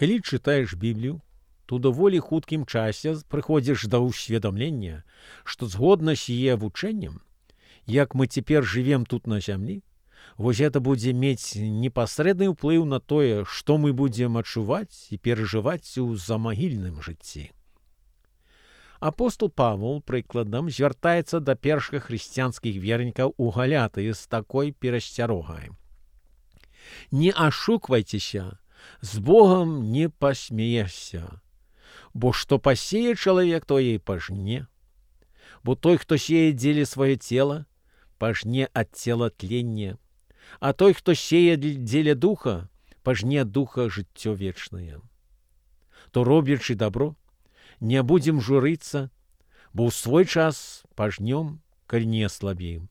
Калі чытаеш Біблію, то даволі хуткім часе прыходзіш да ўсведамлення, што згодна з яе вучэннем, як мы цяпер жывем тут на зямлі, вось гэта будзе мець непасрэдны ўплыў на тое, што мы будзем адчуваць і перажываць у замагільным жыцці. Апостол Павел, прыкладам, звяртаецца да першых хрысціянскіх вернікаў у Галатыі з такой перасцярогай. Не ашуквайцеся, з Богам не пасмеешся, бо што пасее чалавек, тое і пажне. Бо той, хто сеє дзеля сваё цела, пажне ад цела тленне, а той, хто сеє дзеля духа, пажне ад духа жыццё вечнае. То робячы дабро, не будзем журыцца, бо ў свой час пажнём, калі не аслабеем.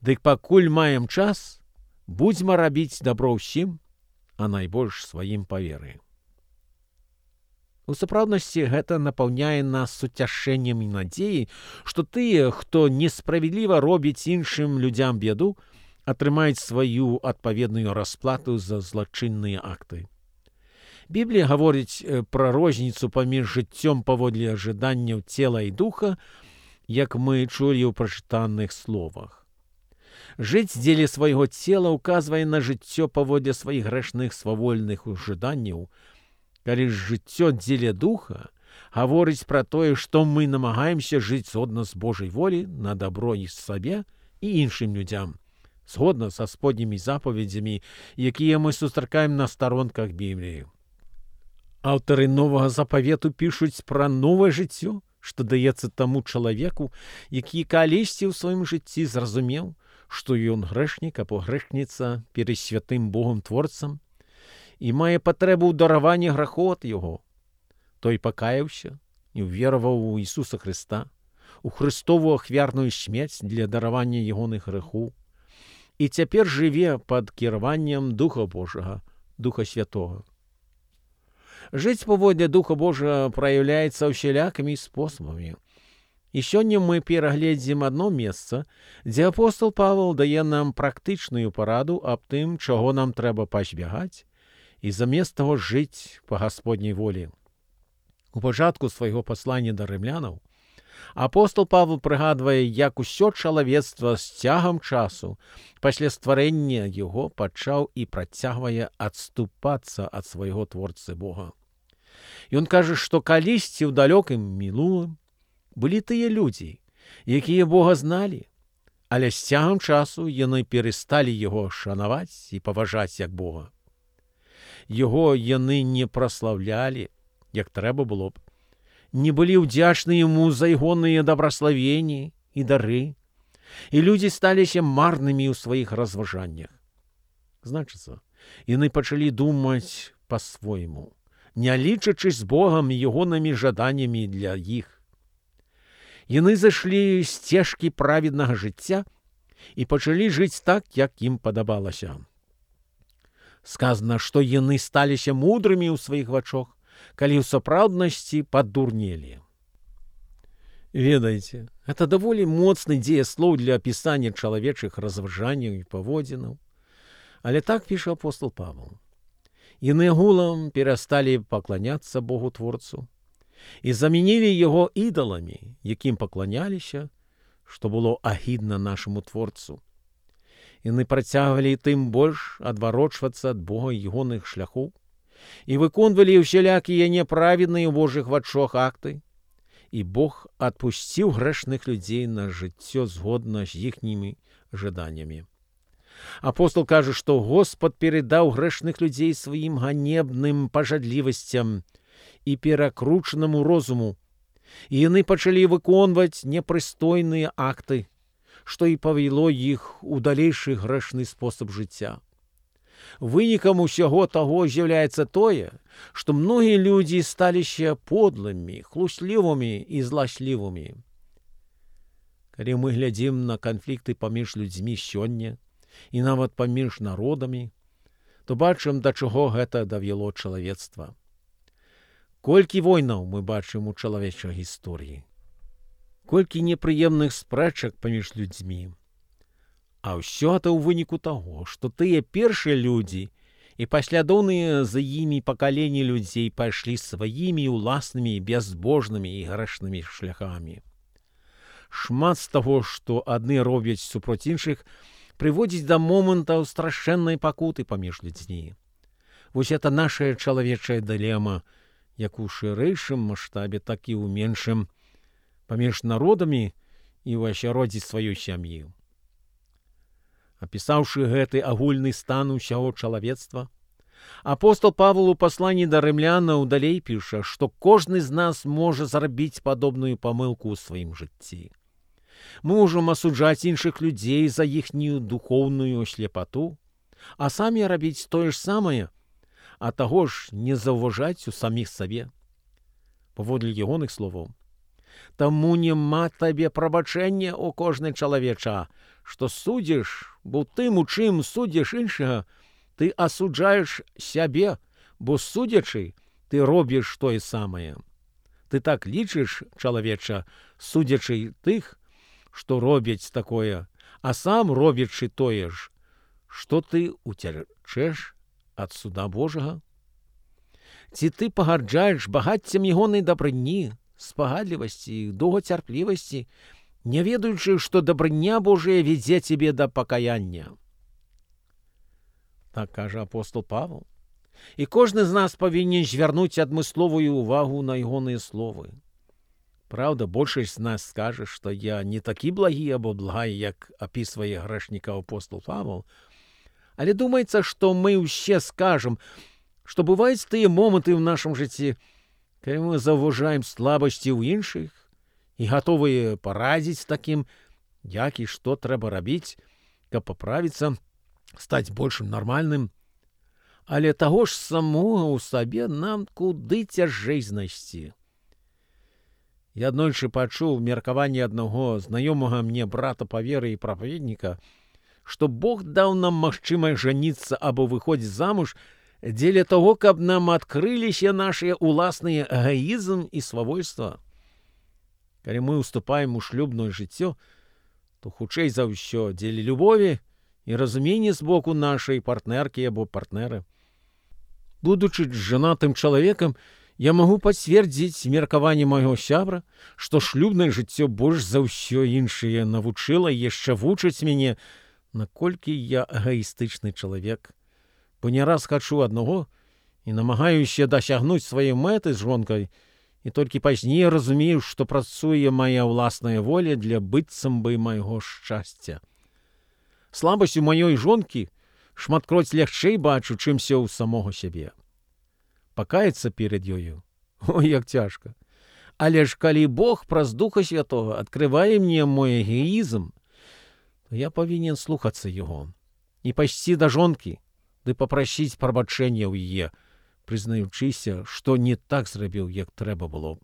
Дык пакуль маем час, будзьма рабіць дабро ўсім, а найбольш сваім па веры. У сапраўднасці гэта напаўняе нас суцяшэннем і надзеяй, што тыя, хто несправядліва робіць іншым людзям беду, атрымаюць сваю адпаведную расплату за злачынныя акты. Біблія гаворыць пра розніцу паміж жыццём паводле ажаданняў цела і духа, як мы чулі ў прачытаных словах. Жыць дзеля свайго цела ўказвае на жыццё паводле сваіх грэшных свавольных ужаданняў, калі ж жыццё дзеля духа гаворыць пра тое, што мы намагаемся жыць згодна з Божай волі на дабро і сабе і іншым людзям, згодна са споднімі запаведзямі, якія мы сустракаем на старонках Бібліі. Аўтары новага запавету пішуць пра новае жыццё, што даецца таму чалавеку, які калісьці ў сваім жыцці зразумеў, што ён грэшнік або грэшніца перад святым Богом Творцам і мае патрэбу ў дараванні грахоў ад яго. Той пакаяўся і ўвераваў у Ісуса Хрыста, у Христову ахвярную смерць для даравання ягоных грэхоў, і цяпер жыве пад кіраваннем Духа Божага, Духа Святога. Жыць паводле Духа Божага праяўляецца ўсялякімі спосабамі. І сёння мы перагледзім адно месца, дзе апостол Павел дае нам практычную параду аб тым, чаго нам трэба пазбягаць, і замест таго жыць па Гасподняй волі. У пачатку свайго паслання да рымлянаў апостол Павел прыгадвае, як усё чалавецтва з цягам часу пасля стварэння яго пачаў і працягвае адступацца ад свайго творцы Бога. Ён кажа, што калісьці ў далёкім мінулым былі тыя людзі, якія Бога зналі, але з цягам часу яны перасталі яго шанаваць і паважаць як Бога. Яго яны не праслаўлялі, як трэба было б, не былі ўдзячны яму за ягоныя дабраславенні і дары, і людзі сталіся марнымі ў сваіх разважаннях. Значыцца, яны пачалі думаць па-свойму, не лічачы з Богам і ягонымі жаданнямі для іх. Яны зайшлі з сцежкі праведнага жыцця і пачалі жыць так, як ім падабалася. Сказана, што яны сталіся мудрымі ў сваіх вачах, калі ў сапраўднасці падурнелі. Ведаеце, гэта даволі моцны дзеяслоў для апісання чалавечых разважанняў і паводзінаў. Але так піша апостол Павел. Яны гулам перасталі пакланяцца Богу Творцу і замянілі яго ідаламі, якім пакланяліся, што было агідна нашаму Творцу. Яны працягвалі тым больш адварочвацца ад Бога і ягоных шляхоў і выконвалі ўсялякія няправедныя ў Божых вачах акты, і Бог адпусціў грэшных людзей на жыццё згодна з іхнімі жаданнямі. Апостол кажа, што Господ перадаў грэшных людзей сваім ганебным пажадлівасцям і перакручанаму розуму, і яны пачалі выконваць непрыстойныя акты, што і павяло іх у далейшы грэшны спосаб жыцця. Вынікам усяго таго з'яўляецца тое, што многія людзі сталіся подлымі, хлуслівымі і зласлівымі. Калі мы глядзім на канфлікты паміж людзьмі сёння і нават паміж народамі, то бачым, да чаго гэта давяло чалавецтва. Колькі войнаў мы бачым у чалавечай гісторыі, колькі непрыемных спрэчак паміж людзьмі. А ўсё гэта ў выніку таго, што тыя першыя людзі, і паслядоўныя за імі пакаленні людзей пайшлі сваімі ўласнымі бязбожнымі і грэшнымі шляхамі. Шмат з таго, што адны робяць супроць іншых, прыводзіць да момантаў страшэннай пакуты паміж людзьмі. Вось это наша чалавечая дылема, як у шырэйшым маштабе, так і ў меншым, паміж народамі і ў асяроддзі сваёй сям'і. Апісаўшы гэты агульны стан усяго чалавецтва, апостол Павел у пасланні да рымлянаў далей піша, што кожны з нас можа зрабіць падобную памылку ў сваім жыцці. Мы можам асуджаць іншых людзей за іхнюю духоўную слепату, а самі рабіць тое ж самае, а таго ж не заўважаць у саміх сабе. Паводле ягоных словаў: «Таму няма табе прабачэння, о кожны чалавеча, што судзіш, бо тым, у чым судзіш іншага, ты асуджаеш сябе, бо судзячы, ты робіш тое самае. Ты так лічыш, чалавеча, судзячы тых, што робяць такое, а сам робячы тое ж, што ты уцячэш ад суда Божага? Ці ты пагарджаеш багаццем ягонай дабрыні, спагадлівасці, доўгацярплівасці, не ведаючы, што дабрыня Божая вядзе цябе да пакаяння?» Так кажа апостол Павел. І кожны з нас павінен звярнуць адмысловую ўвагу на ягоныя словы. Праўда, большасць з нас скажа, што я не такі благі або благай, як апісвае грэшніка апостол Павел, але думаецца, што мы ўсе скажам, што бываюць тыя моманты ў нашым жыцці, калі мы заўважаем слабасці ў іншых і гатовыя парадзіць такім, як і што трэба рабіць, каб паправіцца, стаць большым нармальным. Але таго ж самога ў сабе нам куды цяжэй знайсці. Я аднойчы пачуў меркаванне аднаго знаёмага мне брата па веры і прапаведніка, што Бог даў нам магчымасць жаніцца або выходзіць замуж дзеля таго, каб нам адкрыліся нашыя ўласныя эгоізм і свавольства. Калі мы ўступаем у шлюбнае жыццё, то хутчэй за ўсё дзеля любові і разумення з боку нашай партнеркі або партнера. Будучы жанатым чалавекам, я магу пацвердзіць меркаванне майго сябра, што шлюбнае жыццё больш за ўсё іншае навучыла і яшчэ вучыць мяне, наколькі я эгоістычны чалавек, бо не раз хачу аднаго і намагаюся дасягнуць сваёй мэты з жонкай, і толькі пазней разумею, што працуе мая ўласная воля для быццам бы майго шчасця. Слабасць у маёй жонкі шматкроць лягчэй бачу, чымся ў самога сябе. Пакаяцца перад ёю? Ой, як цяжка. Але ж калі Бог праз Духа Святога адкрывае мне мой эгоізм, то я павінен слухацца яго і пайсці да жонкі, ды папрасіць прабачэння ў яе, прызнаючыся, што не так зрабіў, як трэба было.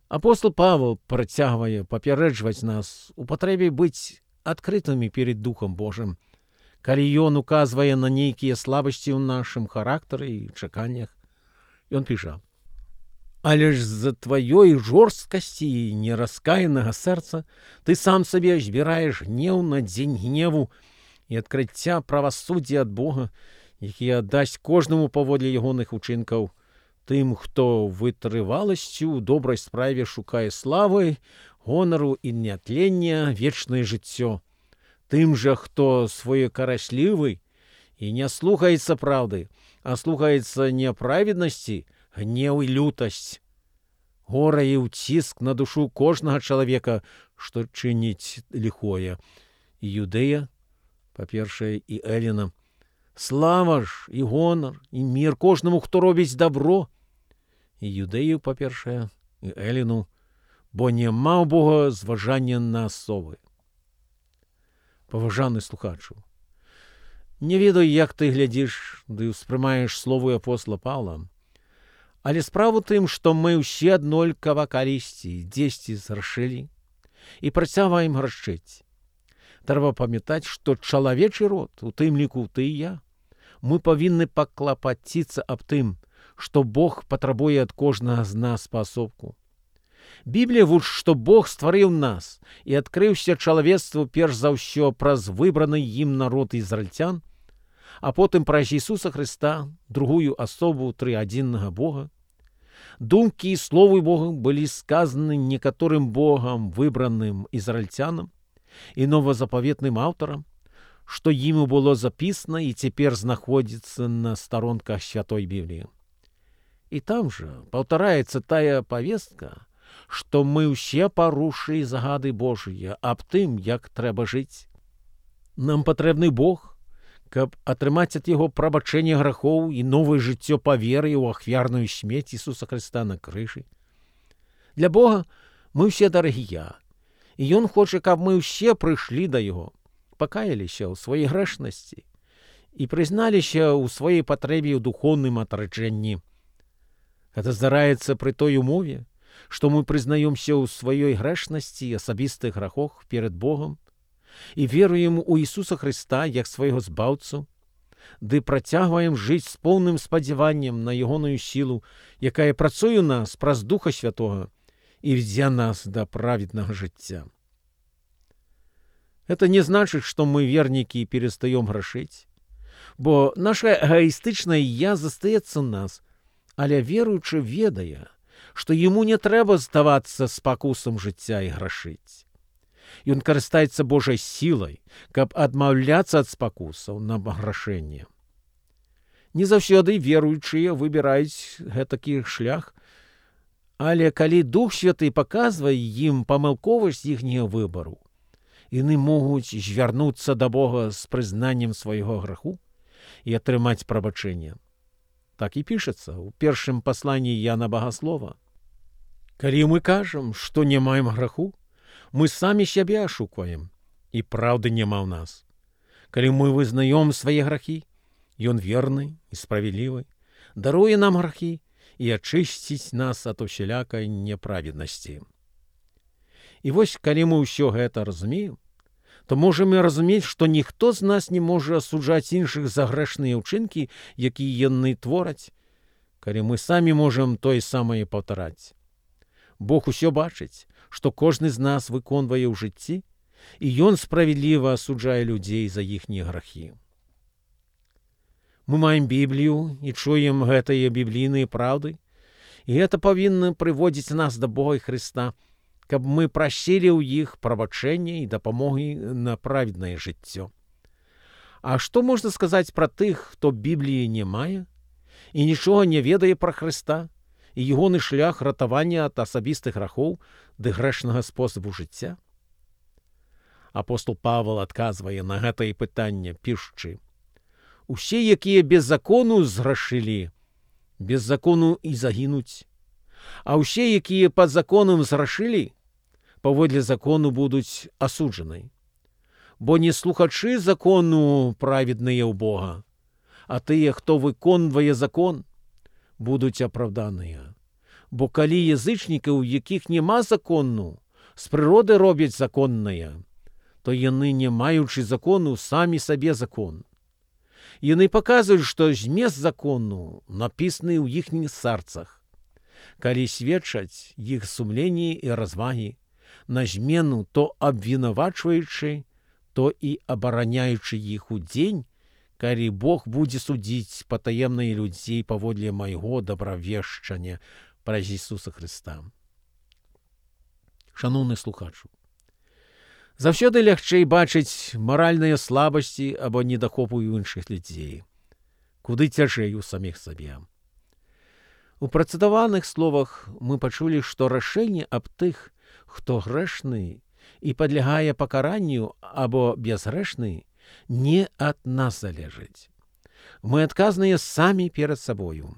Апостол Павел працягвае папярэджваць нас у патрэбе быць адкрытымі перед Духом Божым, калі ён указвае на нейкія слабасці ў нашым характары і чаканнях. Ён піша: «Але ж з-за тваёй жорсткасці і нераскаянага сэрца ты сам сабе збіраеш гнеў на дзень гневу і адкрыцця правасуддзя ад Бога, які аддасць кожнаму паводле ягоных учынкаў, тым, хто вытрываласцю ў добрай справе шукае славы, гонару і нятлення, вечнае жыццё, тым жа, хто своекараслівы і не слухаецца праўды, а слухаецца няправеднасці, гнеў і лютасць. Гора і ўціск на душу кожнага чалавека, што чыніць ліхое. Іудея, па-першае, і Эліна. Слава ж і гонар, і мір кожнаму, хто робіць дабро. І Юдэю, па-першае, і Эліну, бо няма ў Бога зважання на асобы. Паважаны слухачу, не ведаю, як ты глядзіш ды ўспрымаеш словы апостола Паўла, але справа тым, што мы ўсе аднолькава калісьці дзесьці зграшылі і працягваем грашыць. Трэба памятаць, што чалавечы род, у тым ліку ты і я, мы павінны паклапаціцца аб тым, што Бог патрабуе ад кожнага з нас паасобку. Біблія вучыць, што Бог стварыў нас і адкрыўся чалавецтву перш за ўсё праз выбраны ім народ ізраільцян, а потым праз Ісуса Христа, другую асобу трыадзіннага Бога. Думкі і словы Бога былі сказаны некаторым Богам выбраным ізраільцянам і новазапаветным аўтарам, што ім было запісана і цяпер знаходзіцца на старонках Святой Бібліі. І там жа паўтараецца тая павестка, што мы ўсе парушылі загады Божыя аб тым, як трэба жыць. Нам патрэбны Бог, каб атрымаць ад яго прабачэнне грахоў і новае жыццё па веры ў ахвярную смерць Ісуса Христа на крыжы. Для Бога мы ўсе дарагія, і Ён хоча, каб мы ўсе прыйшлі да Яго, пакаяліся ў сваёй грэшнасці і прызналіся ў сваёй патрэбе ў духоўным атраджэнні. Гэта здараецца пры той умове, што мы прызнаёмся ў сваёй грэшнасці і асабістых грахах перад Богам і веруем у Ісуса Христа як свайго збаўцу, ды працягваем жыць з поўным спадзяваннем на ягоную сілу, якая працуе ў нас праз Духа Святога і вядзе нас да праведнага жыцця. Это не значыць, што мы вернікі і перастаём грашыць, бо наша эгоістычнае «я» застаецца ў нас, але веруючы ведае, што яму не трэба здавацца спакусам жыцця і грашыць. Ён карыстаецца Божай сілай, каб адмаўляцца ад спакусаў на грашэнне. Не заўсёды веруючыя выбіраюць гэтакі шлях, але калі Дух Святы паказвае ім памылковасць іхняга выбару, яны могуць звярнуцца да Бога з прызнаннем свайго граху і атрымаць прабачэнне. Так і пішацца ў першым пасланні Яна Багаслова. Калі мы кажам, што не маем граху, мы самі сябе ашукваем, і праўды няма ў нас. Калі мы вызнаём свае грахі, Ён верны і справядлівы, даруе нам грахі і ачысціць нас ад усялякай няправеднасці. І вось, калі мы ўсё гэта разумеем, то можам і разумець, што ніхто з нас не можа асуджаць іншых за грэшныя ўчынкі, якія яны твораць, калі мы самі можам тое самае паўтараць. Бог усё бачыць, што кожны з нас выконвае ў жыцці, і Ён справядліва асуджае людзей за іхнія грахі. Мы маем Біблію і чуем гэтыя біблійныя праўды, і гэта павінна прыводзіць нас да Бога і Христа, каб мы прасілі ў іх прабачэння і дапамогі на праведнае жыццё. А што можна сказаць пра тых, хто Бібліі не мае і нічога не ведае пра Христа і ягоны шлях ратавання ад асабістых грахоў ды грэшнага спосабу жыцця? Апостол Павел адказвае на гэтае пытанне, пішучы: «Усе, якія без закону зграшылі, без закону і загінуць, а ўсе, якія пад законам зграшылі, паводле закону будуць асуджаны. Бо не слухачы закону праведныя ў Бога, а тыя, хто выконвае закон, будуць апраўданыя. Бо калі язычнікаў, у якіх няма закону, з прыроды робяць законнае, то яны, не маючы закону, самі сабе закон. Яны паказваюць, што змест закону напісаны ў іхніх сэрцах. Калі сведчаць іх сумленні і развагі, на змену то абвінавачваючы, то і абараняючы іх у дзень, калі Бог будзе судзіць патаемныя людзей паводле майго добравешчання праз Ісуса Христа». Шаноўны слухачу, заўсёды лягчэй бачыць маральныя слабасці або недахопу ў іншых людзей, куды цяжэй у саміх сабе. У працытаваных словах мы пачулі, што рашэнне аб тых, хто грэшны і падлягае пакаранню або бязгрэшны, не ад нас залежыць. Мы адказныя самі перад сабою.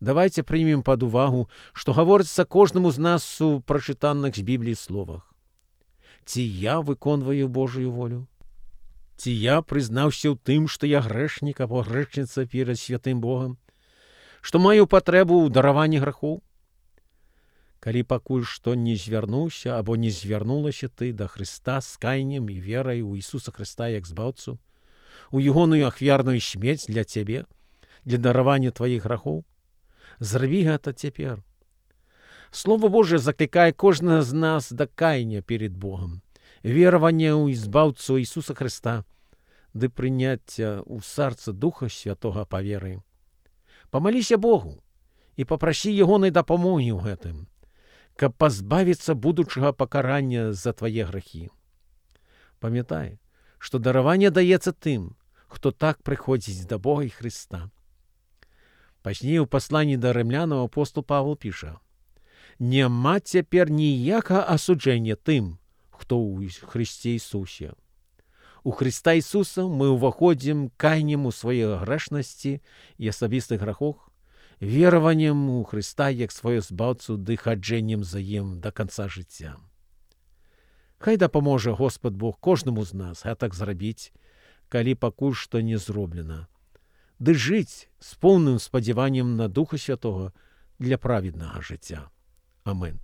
Давайце прымем пад увагу, што гаворыцца кожнаму з нас у прачытаных з Бібліі словах. Ці я выконваю Божую волю? Ці я прызнаўся ў тым, што я грэшнік або грэшніца перад святым Богам, што маю патрэбу ў дараванні грахоў? Калі пакуль што не звярнуўся або не звярнулася ты да Христа з каяннем і верай у Ісуса Христа як збаўцу, у ягоную ахвярную смерць для цябе, для даравання тваіх грахоў, зрабі гэта цяпер. Слово Божие закликае кожнага з нас да каяния перед Богом, верования ў избаўцу Ісуса Христа, ды прыняцця ў сарца Духа Святога па веры. Памаліся Богу і папрасі ягонай дапамогі ў гэтым, каб пазбавіцца будучага пакарання за твае грахі. Памятай, што дараванне даецца тым, хто так прыходзіць да Бога і Хрыста. Пазней у пасланні да рымлянаў апостол Павел піша: «Няма цяпер ніякага асуджэння тым, хто ў Хрысце Ісусе. У Хрыста Ісуса мы ўваходзім каяннем у сваёй грэшнасці і асабістых грахах, вераваннем у Хрыста як сваё збаўцу ды хаджэннем за ім да канца жыцця». Хай дапаможа Господ Бог кожнаму з нас гэтак зрабіць, калі пакуль што не зроблена, ды жыць з поўным спадзяваннем на Духа Святога для праведнага жыцця. Амен.